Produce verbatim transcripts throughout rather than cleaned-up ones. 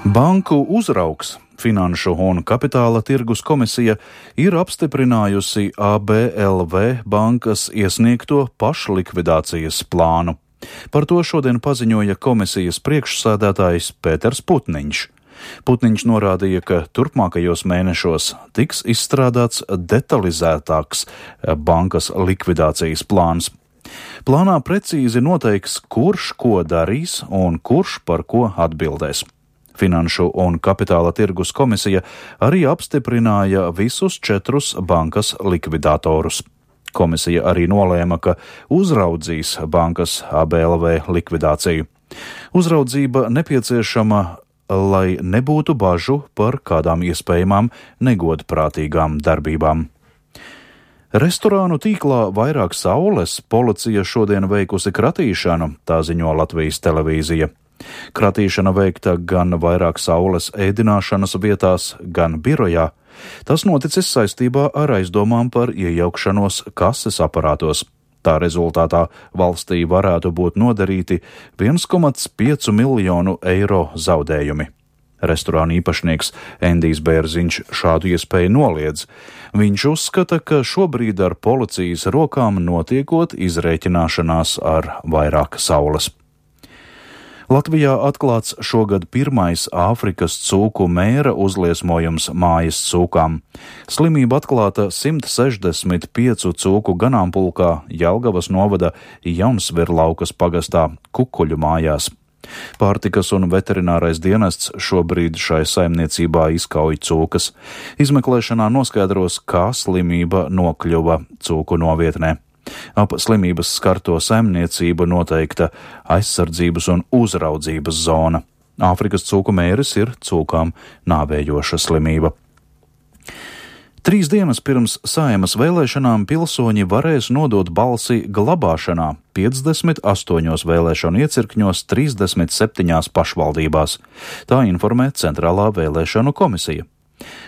Banku uzraugs Finanšu un kapitāla tirgus komisija ir apstiprinājusi A B L V bankas iesniegto pašlikvidācijas plānu. Par to šodien paziņoja komisijas priekšsēdētājs Pēters Putniņš. Putniņš norādīja, ka turpmākajos mēnešos tiks izstrādāts detalizētāks bankas likvidācijas plāns. Plānā precīzi noteiks, kurš ko darīs un kurš par ko atbildēs. Finanšu un kapitāla tirgus komisija arī apstiprināja visus četrus bankas likvidatorus. Komisija arī nolēma, ka uzraudzīs bankas A B L V likvidāciju. Uzraudzība nepieciešama, lai nebūtu bažu par kādām iespējamām negodprātīgām darbībām. Restorānu tīklā Vairāk saules policija šodien veikusi kratīšanu, tā ziņo Latvijas televīzija. Kratīšana veikta gan Vairāk saules ēdināšanas vietās, gan birojā. Tas noticis saistībā ar aizdomām par iejaukšanos kases aparātos. Tā rezultātā valstī varētu būt nodarīti viens komats pieci miljonu eiro zaudējumi. Restorāna īpašnieks Endijs Bērziņš šādu iespēju noliedz. Viņš uzskata, ka šobrīd ar policijas rokām notiekot izrēķināšanās ar Vairāk saules. Latvijā atklāts šogad pirmais Āfrikas cūku mēra uzliesmojums mājas cūkām. Slimība atklāta simt sešdesmit piecu cūku ganāmpulkā Jelgavas novada Jaunsvirlaukas pagastā Kukuļu mājās. Pārtikas un veterinārais dienests šobrīd šai saimniecībā izkauj cūkas. Izmeklēšanā noskaidros, kā slimība nokļuva cūku novietnē. Ap slimības skarto saimniecību noteikta aizsardzības un uzraudzības zona. Āfrikas cūku mēris ir cūkām nāvējoša slimība. Trīs dienas pirms Saeimas vēlēšanām pilsoņi varēs nodot balsi glabāšanā piecdesmit astoņos vēlēšanu iecirkņos trīsdesmit septiņās pašvaldībās. Tā informē Centrālā vēlēšanu komisija.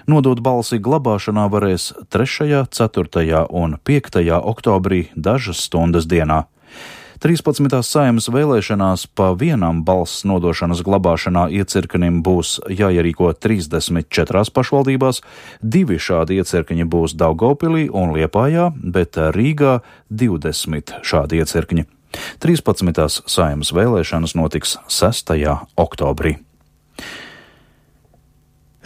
Nodot balsi glabāšanā varēs trešajā, ceturtajā un piektajā oktobrī dažas stundas dienā. trīspadsmitās Saeimas vēlēšanās pa vienam balss nodošanas glabāšanā iecirknim būs jāierīko trīsdesmit četrās pašvaldībās, divi šādi iecirkņi būs Daugavpilī un Liepājā, bet Rīgā divdesmit šādi iecirkņi. trīspadsmitās Saeimas vēlēšanas notiks sestajā oktobrī.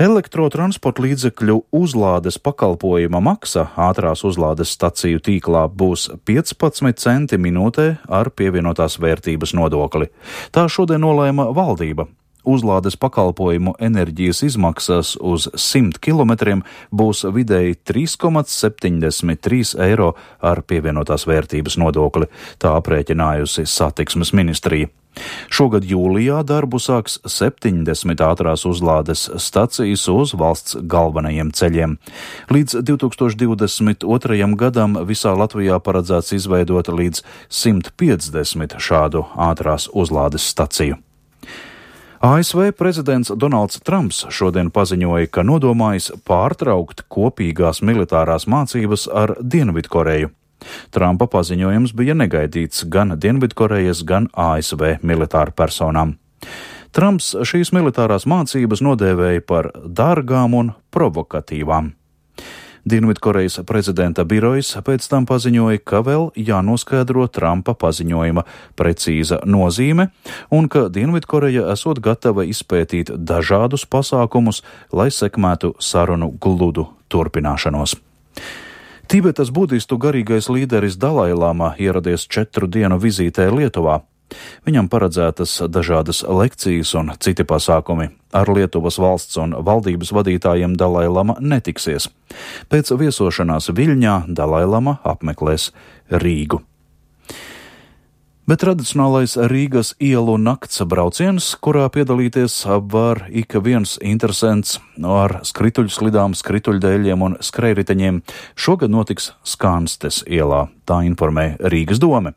Elektrotransporta līdzekļu uzlādes pakalpojuma maksa ātrās uzlādes staciju tīklā būs piecpadsmit centi minūtē ar pievienotās vērtības nodokli. Tā šodien nolēma valdība. Uzlādes pakalpojumu enerģijas izmaksas uz simt kilometriem būs vidēji trīs komats septiņdesmit trīs eiro ar pievienotās vērtības nodokli, tā aprēķinājusi satiksmes ministrija. Šogad jūlijā darbu sāks septiņdesmit ātrās uzlādes stacijas uz valsts galvenajiem ceļiem. Līdz divi tūkstoši divdesmit otrajam gadam visā Latvijā paredzēts izveidot līdz simt piecdesmit šādu ātrās uzlādes staciju. A S V prezidents Donalds Trumps šodien paziņoja, ka nodomājis pārtraukt kopīgās militārās mācības ar Dienvidkoreju. Trumpa paziņojums bija negaidīts gan Dienvidkorejas, gan A S V militāru personām. Trumps šīs militārās mācības nodēvēja par dārgām un provokatīvām. Dienvidkorejas prezidenta birojs pēc tam paziņoja, ka vēl jānoskaidro Trumpa paziņojuma precīza nozīme un ka Dienvidkoreja esot gatava izpētīt dažādus pasākumus, lai sekmētu sarunu gludu turpināšanos. Tibetas budistu garīgais līderis Dalai Lama ieradies četru dienu vizītē Lietuvā. Viņam paredzētas dažādas lekcijas un citi pasākumi. Ar Lietuvas valsts un valdības vadītājiem Dalai Lama netiksies. Pēc viesošanās Viļņā Dalai Lama apmeklēs Rīgu. Bet tradicionālais Rīgas ielu nakts brauciens, kurā piedalīties var ik viens interesants ar skrituļslidām, skrituļdēļiem un skrējriteņiem, šogad notiks Skanstes ielā, tā informē Rīgas dome.